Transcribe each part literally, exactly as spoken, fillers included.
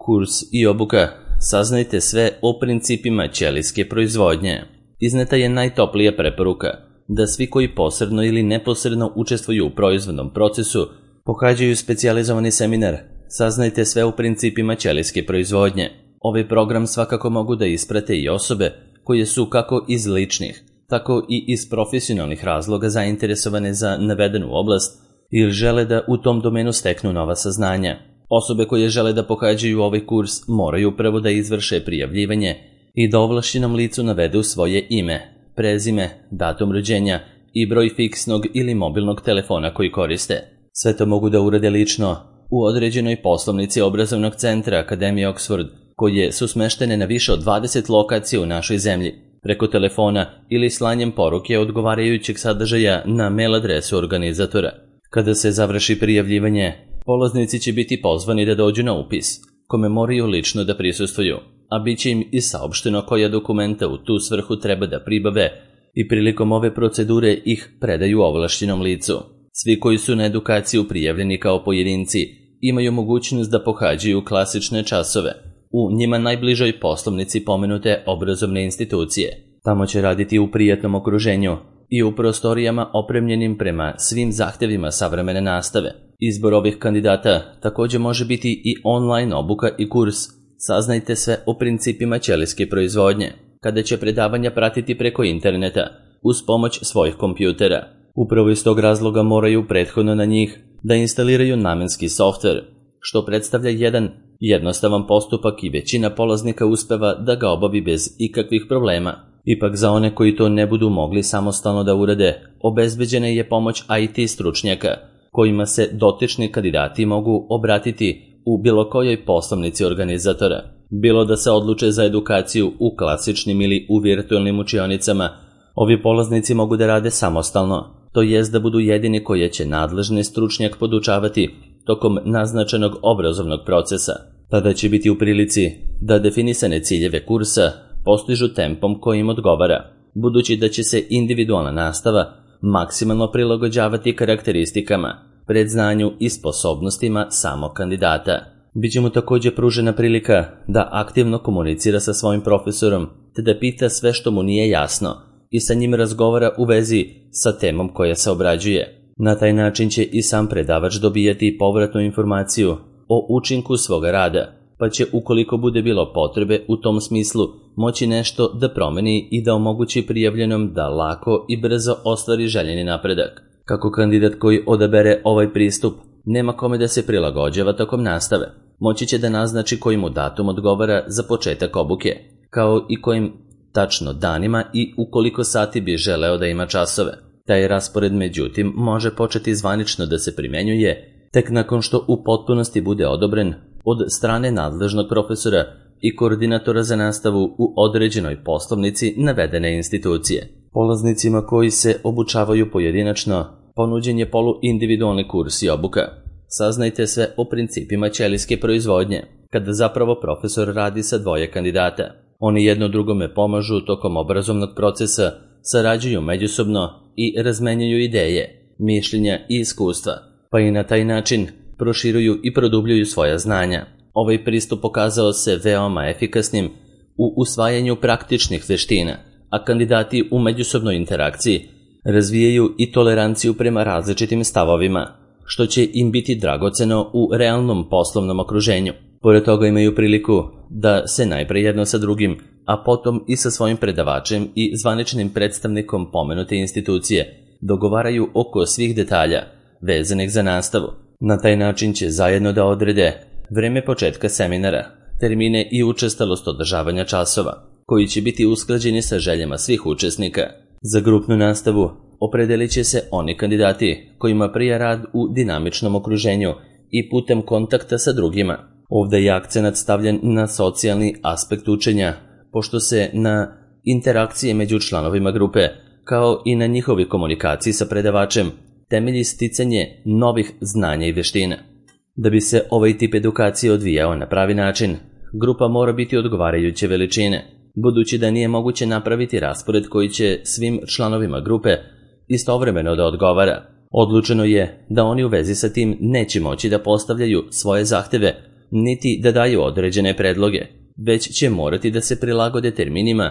Kurs i obuka. Saznajte sve o principima ćelijske proizvodnje. Izneta je najtoplija preporuka da svi koji posredno ili neposredno učestvuju u proizvodnom procesu pohađaju specijalizovani seminar. Saznajte sve o principima ćelijske proizvodnje. Ovaj program svakako mogu da isprate i osobe koje su kako iz ličnih, tako i iz profesionalnih razloga zainteresovane za navedenu oblast ili žele da u tom domenu steknu nova saznanja. Osobe koje žele da pohađaju ovaj kurs moraju prvo da izvrše prijavljivanje i da ovlašćenom licu navedu svoje ime, prezime, datum rođenja i broj fiksnog ili mobilnog telefona koji koriste. Sve to mogu da urade lično u određenoj poslovnici obrazovnog centra Akademije Oxford, koje su smeštene na više od dvadeset lokacija u našoj zemlji, preko telefona ili slanjem poruke odgovarajućeg sadržaja na mail adresu organizatora. Kada se završi prijavljivanje, polaznici će biti pozvani da dođu na upis, kome moraju lično da prisustvuju, a bit će im i saopšteno koja dokumenta u tu svrhu treba da pribave i prilikom ove procedure ih predaju ovlašćenom licu. Svi koji su na edukaciju prijavljeni kao pojedinci imaju mogućnost da pohađaju klasične časove u njima najbližoj poslovnici pomenute obrazovne institucije. Tamo će raditi u prijatnom okruženju i u prostorijama opremljenim prema svim zahtevima savremene nastave. Izbor ovih kandidata također može biti i online obuka i kurs. Saznajte sve o principima ćelijske proizvodnje, kada će predavanja pratiti preko interneta uz pomoć svojih kompjutera. Upravo iz tog razloga moraju prethodno na njih da instaliraju namenski softver, što predstavlja jedan jednostavan postupak i većina polaznika uspeva da ga obavi bez ikakvih problema. Ipak za one koji to ne budu mogli samostalno da urade, obezbeđena je pomoć I T stručnjaka, kojima se dotični kandidati mogu obratiti u bilo kojoj poslovnici organizatora. Bilo da se odluče za edukaciju u klasičnim ili u virtualnim učionicama, ovi polaznici mogu da rade samostalno, to jest da budu jedini koje će nadležni stručnjak podučavati tokom naznačenog obrazovnog procesa. Tada će biti u prilici da definisane ciljeve kursa postižu tempom koji im odgovara, budući da će se individualna nastava maksimalno prilagođavati karakteristikama, predznanju i sposobnostima samog kandidata. Biće mu također pružena prilika da aktivno komunicira sa svojim profesorom, te da pita sve što mu nije jasno i sa njim razgovara u vezi sa temom koja se obrađuje. Na taj način će i sam predavač dobijati povratnu informaciju o učinku svoga rada, pa će, ukoliko bude bilo potrebe u tom smislu, moći nešto da promeni i da omogući prijavljenom da lako i brzo ostvari željeni napredak. Kako kandidat koji odabere ovaj pristup nema kome da se prilagođava tokom nastave, moći će da naznači koji mu datum odgovara za početak obuke, kao i kojim tačno danima i u koliko sati bi želeo da ima časove. Taj raspored, međutim, može početi zvanično da se primenjuje tek nakon što u potpunosti bude odobren od strane nadležnog profesora i koordinatora za nastavu u određenoj poslovnici navedene institucije. Polaznicima koji se obučavaju pojedinačno ponuđen je poluindividualni kurs i obuka. Saznajte sve o principima ćelijske proizvodnje, kada zapravo profesor radi sa dvoje kandidata. Oni jedno drugome pomažu tokom obrazovnog procesa, sarađuju međusobno i razmenjuju ideje, mišljenja i iskustva, pa i na taj način proširuju i produbljuju svoja znanja. Ovaj pristup pokazao se veoma efikasnim u usvajanju praktičnih veština, a kandidati u međusobnoj interakciji razvijaju i toleranciju prema različitim stavovima, što će im biti dragoceno u realnom poslovnom okruženju. Pored toga imaju priliku da se najpre jedno sa drugim, a potom i sa svojim predavačem i zvaničnim predstavnikom pomenute institucije dogovaraju oko svih detalja vezanih za nastavu. Na taj način će zajedno da odrede vreme početka seminara, termine i učestalost održavanja časova, koji će biti usklađeni sa željama svih učesnika. Za grupnu nastavu opredelit će se oni kandidati kojima prija rad u dinamičnom okruženju i putem kontakta sa drugima. Ovdje je akcenat stavljen na socijalni aspekt učenja, pošto se na interakcije među članovima grupe, kao i na njihovi komunikaciji sa predavačem, temelji sticanje novih znanja i veština. Da bi se ovaj tip edukacije odvijao na pravi način, grupa mora biti odgovarajuće veličine, budući da nije moguće napraviti raspored koji će svim članovima grupe istovremeno da odgovara. Odlučeno je da oni u vezi sa tim neće moći da postavljaju svoje zahteve niti da daju određene predloge, već će morati da se prilagode terminima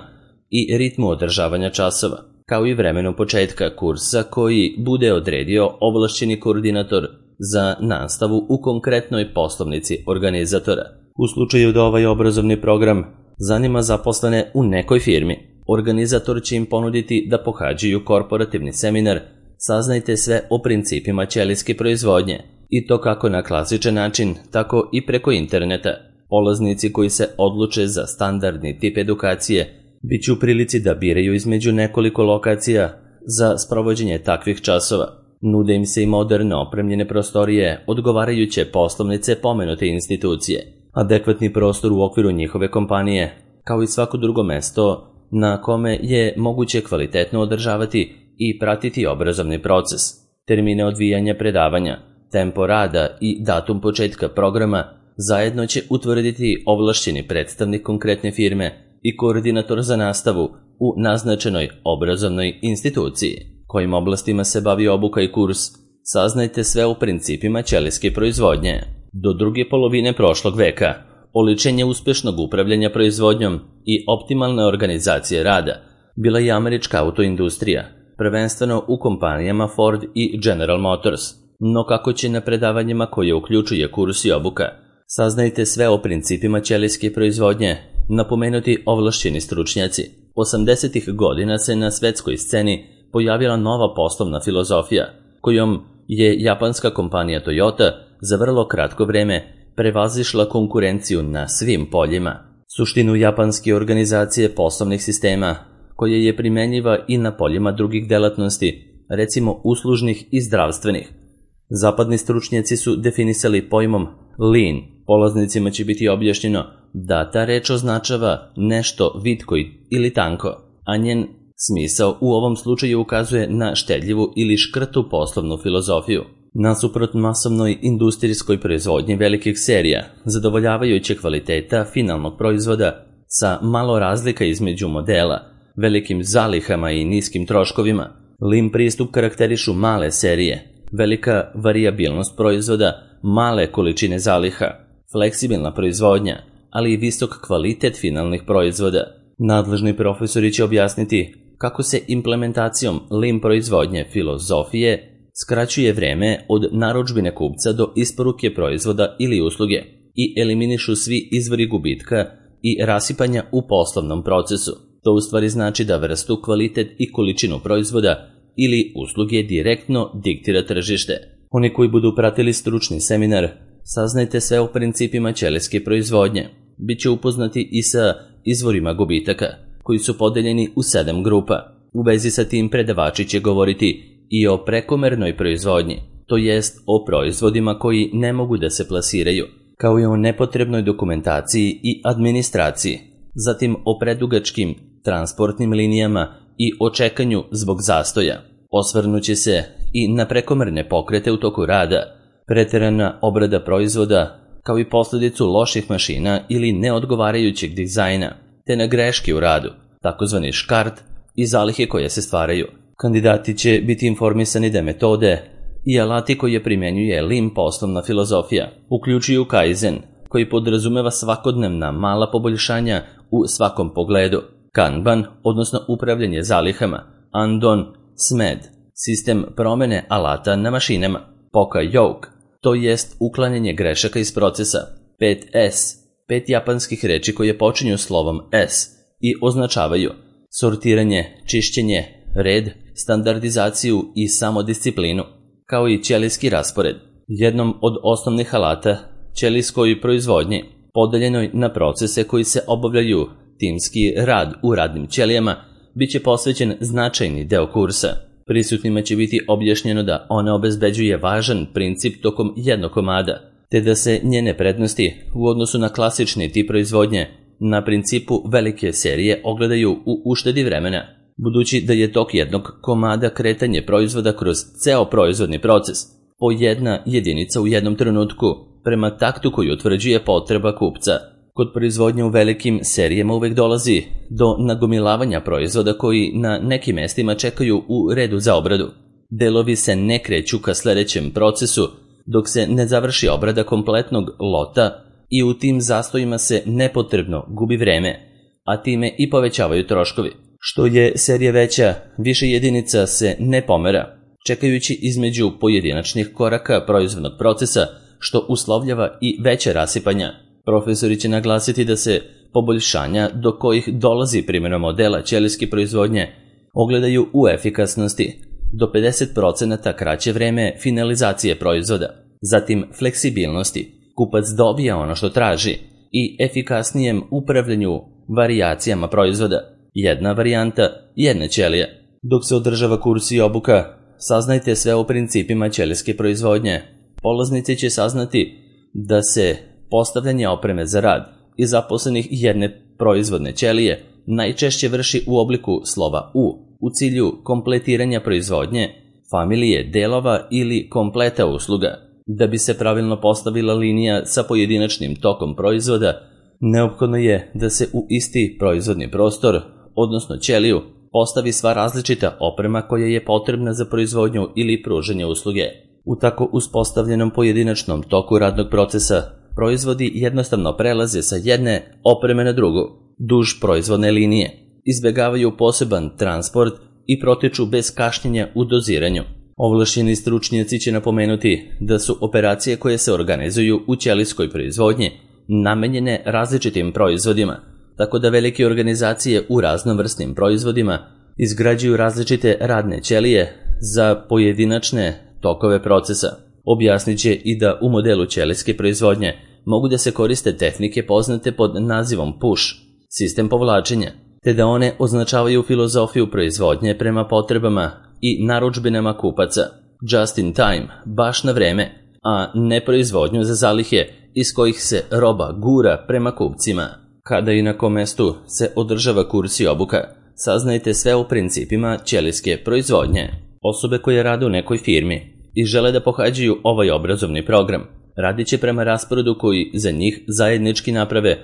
i ritmu održavanja časova, kao i vremenu početka kursa koji bude odredio ovlašćeni koordinator za nastavu u konkretnoj poslovnici organizatora. U slučaju da ovaj obrazovni program zanima zaposlene u nekoj firmi, organizator će im ponuditi da pohađaju korporativni seminar Saznajte sve o principima ćelijske proizvodnje, i to kako na klasičan način, tako i preko interneta. Polaznici koji se odluče za standardni tip edukacije bit će u prilici da biraju između nekoliko lokacija za sprovođenje takvih časova. Nude im se i moderno opremljene prostorije, odgovarajuće poslovnice pomenute institucije, adekvatni prostor u okviru njihove kompanije, kao i svako drugo mesto na kome je moguće kvalitetno održavati i pratiti obrazovni proces. Termine odvijanja predavanja, tempo rada i datum početka programa zajedno će utvrditi ovlašćeni predstavnik konkretne firme i koordinator za nastavu u naznačenoj obrazovnoj instituciji. Kojim oblastima se bavi obuka i kurs, saznajte sve o principima ćelijske proizvodnje. Do druge polovine prošlog veka, oličenje uspešnog upravljanja proizvodnjom i optimalne organizacije rada bila je američka autoindustrija, prvenstveno u kompanijama Ford i General Motors. No kako će na predavanjima koje uključuje kurs i obuka, saznajte sve o principima ćelijske proizvodnje, napomenuti ovlašćeni stručnjaci. osamdesetih godina se na svetskoj sceni pojavila nova poslovna filozofija, kojom je japanska kompanija Toyota za vrlo kratko vreme prevazišla konkurenciju na svim poljima. Suštinu japanske organizacije poslovnih sistema, koje je primenjiva i na poljima drugih delatnosti, recimo uslužnih i zdravstvenih. Zapadni stručnjaci su definisali pojmom lean. Polaznicima će biti objašnjeno da ta reč označava nešto vitko ili tanko, a njen smisao u ovom slučaju ukazuje na štedljivu ili škrtu poslovnu filozofiju. Nasuprot masovnoj industrijskoj proizvodnji velikih serija, zadovoljavajuće kvaliteta finalnog proizvoda sa malo razlika između modela, velikim zalihama i niskim troškovima, lean pristup karakterišu male serije, velika varijabilnost proizvoda, male količine zaliha, fleksibilna proizvodnja, ali i visok kvalitet finalnih proizvoda. Nadležni profesori će objasniti kako se implementacijom lean proizvodnje filozofije skraćuje vreme od narudžbine kupca do isporuke proizvoda ili usluge i eliminišu svi izvori gubitka i rasipanja u poslovnom procesu. To u stvari znači da vrstu, kvalitet i količinu proizvoda ili usluge direktno diktira tržište. Oni koji budu pratili stručni seminar, saznajte sve o principima ćelijske proizvodnje. Biće upoznati i sa izvorima gubitaka, koji su podeljeni u sedam grupa. U vezi sa tim predavači će govoriti i o prekomernoj proizvodnji, to jest o proizvodima koji ne mogu da se plasiraju, kao i o nepotrebnoj dokumentaciji i administraciji, zatim o predugačkim transportnim linijama i o čekanju zbog zastoja. Osvrnuće se i na prekomerne pokrete u toku rada, preterana obrada proizvoda, kao i posljedicu loših mašina ili neodgovarajućeg dizajna, te na greške u radu, takozvani škart i zalihe koje se stvaraju. Kandidati će biti informisani da metode i alati koje primjenjuje lean poslovna filozofija uključuju Kaizen, koji podrazumeva svakodnevna mala poboljšanja u svakom pogledu, Kanban, odnosno upravljanje zalihama, Andon, Smed, sistem promene alata na mašinama, Poka-yoke, to jest uklanjanje grešaka iz procesa, pet es, pet japanskih reči koje počinju slovom S i označavaju sortiranje, čišćenje, red, standardizaciju i samodisciplinu, kao i ćelijski raspored. Jednom od osnovnih alata ćelijskoj proizvodnji, podeljenoj na procese koji se obavljaju timski rad u radnim ćelijama, bit će posvećen značajni deo kursa. Prisutnima će biti objašnjeno da ona obezbeđuje važan princip tokom jednog komada, te da se njene prednosti u odnosu na klasični tip proizvodnje na principu velike serije ogledaju u uštedi vremena, budući da je tok jednog komada kretanje proizvoda kroz ceo proizvodni proces, po jedna jedinica u jednom trenutku, prema taktu koji utvrđuje potreba kupca. Kod proizvodnje u velikim serijama uvek dolazi do nagomilavanja proizvoda koji na nekim mestima čekaju u redu za obradu. Delovi se ne kreću ka sledećem procesu dok se ne završi obrada kompletnog lota i u tim zastojima se nepotrebno gubi vreme, a time i povećavaju troškovi. Što je serija veća, više jedinica se ne pomera, čekajući između pojedinačnih koraka proizvodnog procesa, što uslovljava i veće rasipanja. Profesori će naglasiti da se poboljšanja do kojih dolazi primjenom modela ćelijske proizvodnje ogledaju u efikasnosti, do pedeset posto kraće vreme finalizacije proizvoda, zatim fleksibilnosti, kupac dobija ono što traži, i efikasnijem upravljanju varijacijama proizvoda, jedna varijanta, jedna ćelija. Dok se održava kurs i obuka, saznajte sve o principima ćelijske proizvodnje. Polaznici će saznati da se postavljanje opreme za rad i zaposlenih jedne proizvodne ćelije najčešće vrši u obliku slova U, u cilju kompletiranja proizvodnje, familije delova ili kompleta usluga. Da bi se pravilno postavila linija sa pojedinačnim tokom proizvoda, neophodno je da se u isti proizvodni prostor, odnosno ćeliju, postavi sva različita oprema koja je potrebna za proizvodnju ili pružanje usluge. U tako uspostavljenom pojedinačnom toku radnog procesa, proizvodi jednostavno prelaze sa jedne opreme na drugu, duž proizvodne linije, izbjegavaju poseban transport i protiču bez kašnjenja u doziranju. Ovlašćeni stručnjaci će napomenuti da su operacije koje se organizuju u ćelijskoj proizvodnji namenjene različitim proizvodima, tako da velike organizacije u raznovrsnim proizvodima izgrađuju različite radne ćelije za pojedinačne tokove procesa. Objasnit će i da u modelu ćelijske proizvodnje mogu da se koriste tehnike poznate pod nazivom push, sistem povlačenja, te da one označavaju filozofiju proizvodnje prema potrebama i narudžbinama kupaca, just in time, baš na vreme, a ne proizvodnju za zalihe iz kojih se roba gura prema kupcima. Kada i na kom mestu se održava kurs i obuka, saznajte sve o principima ćelijske proizvodnje. Osobe koje rade u nekoj firmi i žele da pohađaju ovaj obrazovni program, radit će prema rasporedu koji za njih zajednički naprave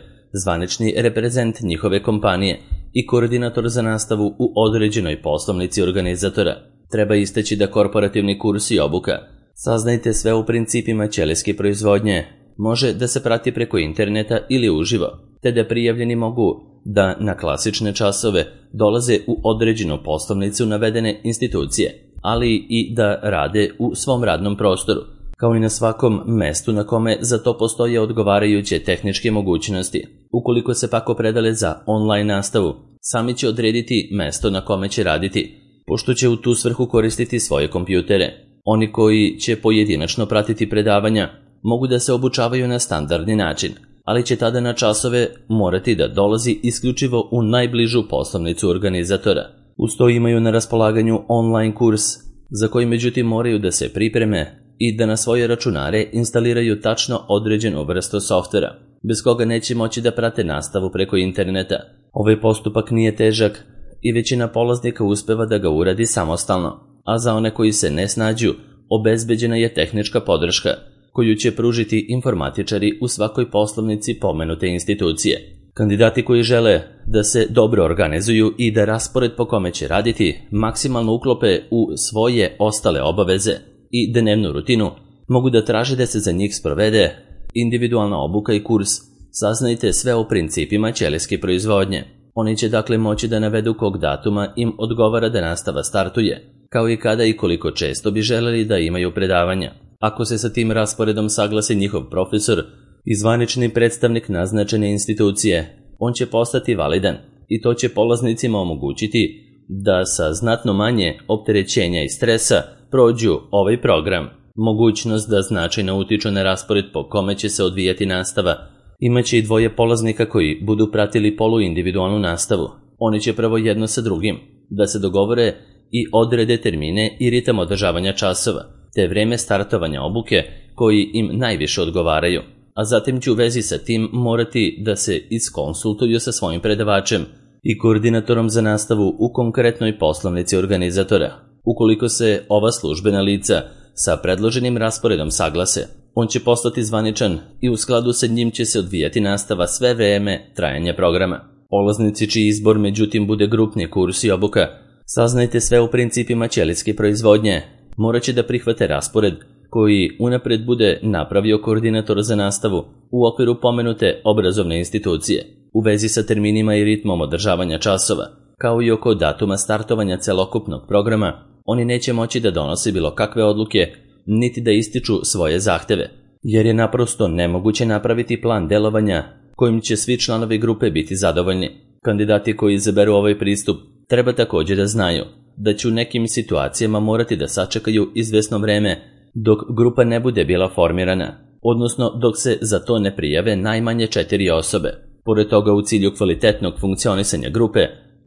zvanični reprezent njihove kompanije i koordinator za nastavu u određenoj poslovnici organizatora. Treba istaći da korporativni kurs i obuka, saznajte sve o principima ćelijske proizvodnje, može da se prati preko interneta ili uživo, te da prijavljeni mogu da na klasične časove dolaze u određenu poslovnicu navedene institucije, ali i da rade u svom radnom prostoru, kao i na svakom mestu na kome za to postoje odgovarajuće tehničke mogućnosti. Ukoliko se pak opredele za online nastavu, sami će odrediti mesto na kome će raditi, pošto će u tu svrhu koristiti svoje kompjutere. Oni koji će pojedinačno pratiti predavanja mogu da se obučavaju na standardni način, ali će tada na časove morati da dolazi isključivo u najbližu poslovnicu organizatora. Uz to imaju na raspolaganju online kurs, za koji međutim moraju da se pripreme i da na svoje računare instaliraju tačno određenu vrstu softvera, bez koga neće moći da prate nastavu preko interneta. Ovaj postupak nije težak i većina polaznika uspeva da ga uradi samostalno, a za one koji se ne snađu, obezbeđena je tehnička podrška, koju će pružiti informatičari u svakoj poslovnici pomenute institucije. Kandidati koji žele da se dobro organizuju i da raspored po kome će raditi maksimalno uklope u svoje ostale obaveze i dnevnu rutinu, mogu da traže da se za njih sprovede individualna obuka i kurs. Saznajte sve o principima ćelijske proizvodnje. Oni će dakle moći da navedu kog datuma im odgovara da nastava startuje, kao i kada i koliko često bi želeli da imaju predavanja. Ako se sa tim rasporedom saglasi njihov profesor i zvanični predstavnik naznačene institucije, on će postati validan i to će polaznicima omogućiti da sa znatno manje opterećenja i stresa prođu ovaj program. Mogućnost da značajno utiču na raspored po kome će se odvijati nastava imaće i dvoje polaznika koji budu pratili poluindividualnu nastavu. Oni će prvo jedno sa drugim da se dogovore i odrede termine i ritam održavanja časova, te vreme startovanja obuke koji im najviše odgovaraju, a zatim će u vezi sa tim morati da se iskonsultuju sa svojim predavačem i koordinatorom za nastavu u konkretnoj poslovnici organizatora. Ukoliko se ova službena lica sa predloženim rasporedom saglase, on će postati zvaničan i u skladu sa njim će se odvijati nastava sve vreme trajanja programa. Polaznici čiji izbor međutim bude grupni kurs i obuka, saznajte sve u principima ćelijske proizvodnje, morat će da prihvate raspored koji unapred bude napravio koordinator za nastavu u okviru pomenute obrazovne institucije, u vezi sa terminima i ritmom održavanja časova, kao i oko datuma startovanja celokupnog programa, oni neće moći da donose bilo kakve odluke, niti da ističu svoje zahteve, jer je naprosto nemoguće napraviti plan delovanja kojim će svi članovi grupe biti zadovoljni. Kandidati koji izaberu ovaj pristup treba također da znaju da će u nekim situacijama morati da sačekaju izvesno vreme dok grupa ne bude bila formirana, odnosno dok se za to ne prijave najmanje četiri osobe. Pored toga, u cilju kvalitetnog funkcionisanja grupe,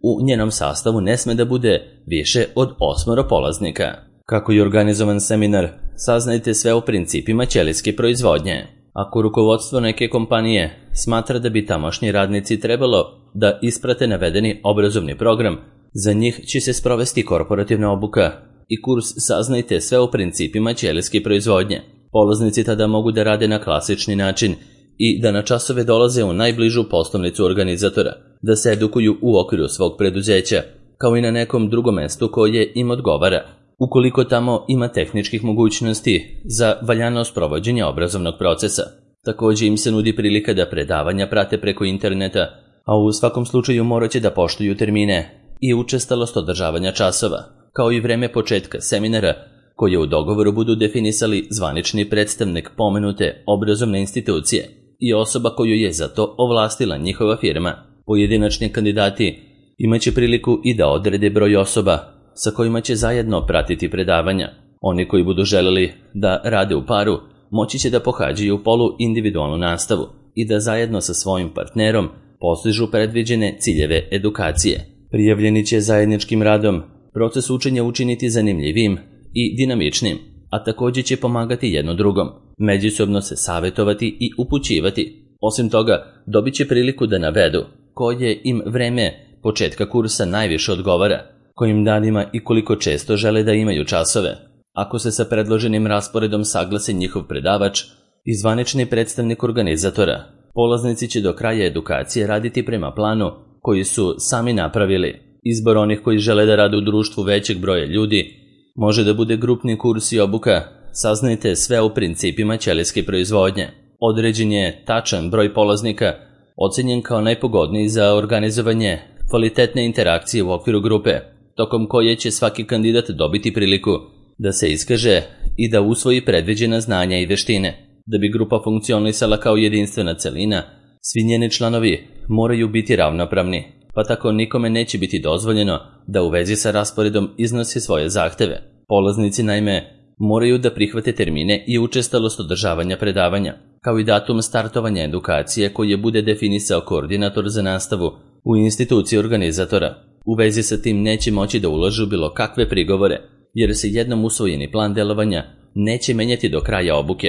u njenom sastavu ne sme da bude više od osmoro polaznika. Kako je organizovan seminar, saznajte sve o principima ćelijske proizvodnje. Ako rukovodstvo neke kompanije smatra da bi tamošnji radnici trebalo da isprate navedeni obrazovni program, za njih će se sprovesti korporativna obuka i kurs Saznajte sve o principima ćelijske proizvodnje. Polaznici tada mogu da rade na klasični način i da na časove dolaze u najbližu poslovnicu organizatora, da se edukuju u okviru svog preduzeća, kao i na nekom drugom mestu koje im odgovara, ukoliko tamo ima tehničkih mogućnosti za valjano sprovođenje obrazovnog procesa. Također im se nudi prilika da predavanja prate preko interneta, a u svakom slučaju morat će da poštuju termine i učestalost održavanja časova, kao i vreme početka seminara, koje u dogovoru budu definisali zvanični predstavnik pomenute obrazovne institucije i osoba koju je za to ovlastila njihova firma. Pojedinačni kandidati imaće priliku i da odrede broj osoba sa kojima će zajedno pratiti predavanja. Oni koji budu želeli da rade u paru moći će da pohađaju polu individualnu nastavu i da zajedno sa svojim partnerom postižu predviđene ciljeve edukacije. Prijavljeni će zajedničkim radom proces učenja učiniti zanimljivim i dinamičnim, a također će pomagati jedno drugom, međusobno se savjetovati i upućivati. Osim toga, dobit će priliku da navedu koje im vreme početka kursa najviše odgovara, kojim danima i koliko često žele da imaju časove. Ako se sa predloženim rasporedom saglase njihov predavač i zvanični predstavnik organizatora, polaznici će do kraja edukacije raditi prema planu koji su sami napravili. Izbor onih koji žele da rade u društvu većeg broja ljudi može da bude grupni kurs i obuka. Saznajte sve o principima ćelijske proizvodnje. Određen je tačan broj polaznika, ocenjen kao najpogodniji za organizovanje kvalitetne interakcije u okviru grupe, tokom koje će svaki kandidat dobiti priliku da se iskaže i da usvoji predviđena znanja i veštine. Da bi grupa funkcionisala kao jedinstvena celina, svi njeni članovi moraju biti ravnopravni, pa tako nikome neće biti dozvoljeno da u vezi sa rasporedom iznosi svoje zahteve. Polaznici naime moraju da prihvate termine i učestalost održavanja predavanja, kao i datum startovanja edukacije koje bude definisao koordinator za nastavu u instituciji organizatora. U vezi sa tim neće moći da ulažu bilo kakve prigovore, jer se jednom usvojeni plan delovanja neće menjati do kraja obuke.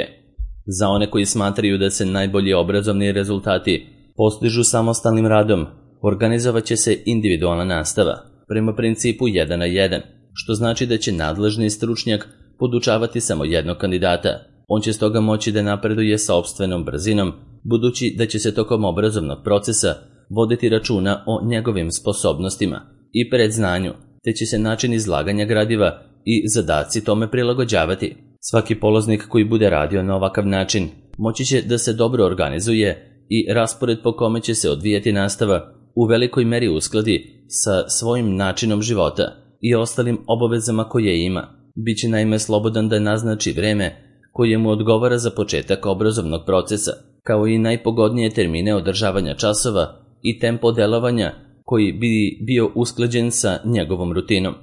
Za one koji smatraju da se najbolji obrazovni rezultati postižu samostalnim radom, organizovat će se individualna nastava prema principu jedan na jedan, što znači da će nadležni stručnjak podučavati samo jednog kandidata. On će stoga moći da napreduje sopstvenom brzinom, budući da će se tokom obrazovnog procesa voditi računa o njegovim sposobnostima i predznanju, te će se način izlaganja gradiva i zadaci tome prilagođavati. Svaki polaznik koji bude radio na ovakav način moći će da se dobro organizuje i raspored po kome će se odvijati nastava u velikoj meri uskladi sa svojim načinom života i ostalim obavezama koje ima. Biće naime slobodan da naznači vreme koje mu odgovara za početak obrazovnog procesa, kao i najpogodnije termine održavanja časova i tempo delovanja koji bi bio usklađen sa njegovom rutinom.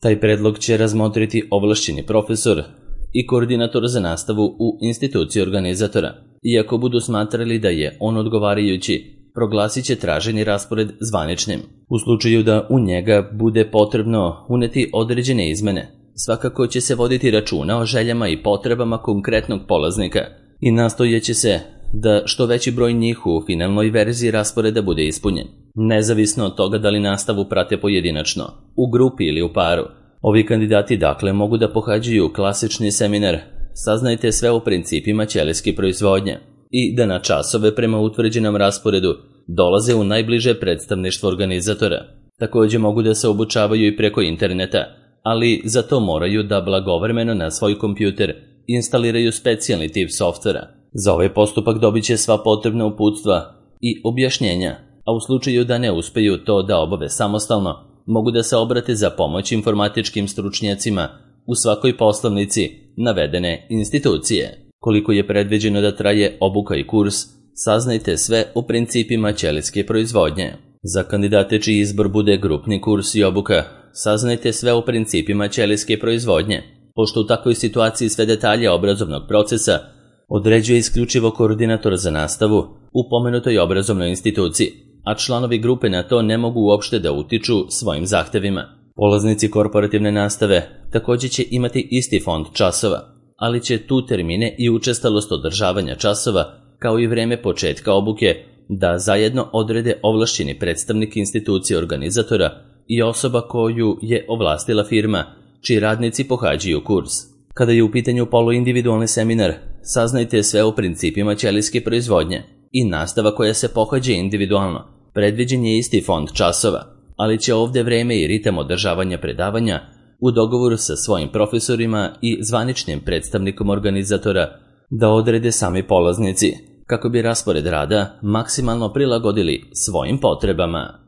Taj predlog će razmotriti ovlašćeni profesor i koordinator za nastavu u instituciji organizatora. Iako budu smatrali da je on odgovarajući, proglasit će traženi raspored zvaničnim. U slučaju da u njega bude potrebno uneti određene izmene, svakako će se voditi računa o željama i potrebama konkretnog polaznika i nastojeće se da što veći broj njih u finalnoj verziji rasporeda bude ispunjen. Nezavisno od toga da li nastavu prate pojedinačno, u grupi ili u paru, ovi kandidati dakle mogu da pohađaju klasični seminar Saznajte sve o principima ćelijske proizvodnje i da na časove prema utvrđenom rasporedu dolaze u najbliže predstavništvo organizatora. Također mogu da se obučavaju i preko interneta, ali za to moraju da blagovremeno na svoj kompjuter instaliraju specijalni tip softvera. Za ovaj postupak dobit će sva potrebna uputstva i objašnjenja, a u slučaju da ne uspeju to da obave samostalno, mogu da se obrate za pomoć informatičkim stručnjacima u svakoj poslovnici navedene institucije. Koliko je predviđeno da traje obuka i kurs, saznajte sve o principima ćelijske proizvodnje. Za kandidate čiji izbor bude grupni kurs i obuka, saznajte sve o principima ćelijske proizvodnje. Pošto u takvoj situaciji sve detalje obrazovnog procesa određuje isključivo koordinator za nastavu u pomenutoj obrazovnoj instituciji, a članovi grupe na to ne mogu uopšte da utiču svojim zahtevima. Polaznici korporativne nastave također će imati isti fond časova, ali će tu termine i učestalost održavanja časova, kao i vreme početka obuke, da zajedno odrede ovlašćeni predstavnik institucije organizatora i osoba koju je ovlastila firma, čiji radnici pohađaju kurs. Kada je u pitanju poluindividualni seminar, saznajte sve o principima ćelijske proizvodnje i nastava koja se pohađa individualno. Predviđen je isti fond časova, ali će ovdje vreme i ritam održavanja predavanja u dogovoru sa svojim profesorima i zvaničnim predstavnikom organizatora da odrede sami polaznici, kako bi raspored rada maksimalno prilagodili svojim potrebama.